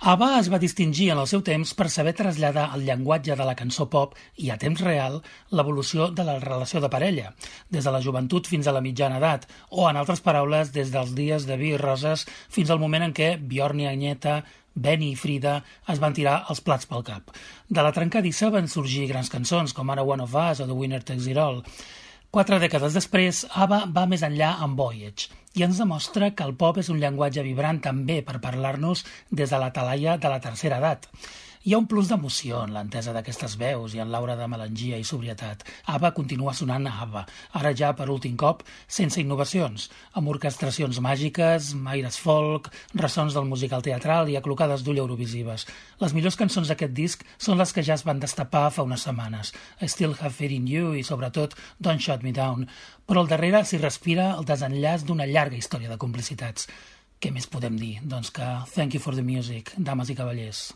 ABBA es va distingir en el seu temps per saber traslladar el llenguatge de la cançó pop i a temps real l'evolució de la relació de parella, des de la joventut fins a la mitjana edat, o, en altres paraules, des dels dies de vi i roses fins al moment en què Bjorn i Agneta, Benny i Frida es van tirar els plats pel cap. De la trencadissa van sorgir grans cançons com ara One of Us o The Winner Takes It All. 4 dècades després, ABBA va més enllà amb Voyage i ens demostra que el pop és un llenguatge vibrant també per parlar-nos des de la talaia de la tercera edat. Hi ha un plus d'emoció en l'entesa d'aquestes veus i en l'aura de melangia i sobrietat. ABBA continua sonant a ABBA, ara ja per últim cop sense innovacions, amb orquestracions màgiques, aires folk, ressons del musical teatral i aclocades d'ull eurovisives. Les millors cançons d'aquest disc són les que ja es van destapar fa unes setmanes, I Still Have Faith in You i sobretot Don't Shut Me Down, però al darrere s'hi respira el desenllaç d'una llarga història de complicitats. Què més podem dir? Doncs que thank you for the music, dames i cavallers.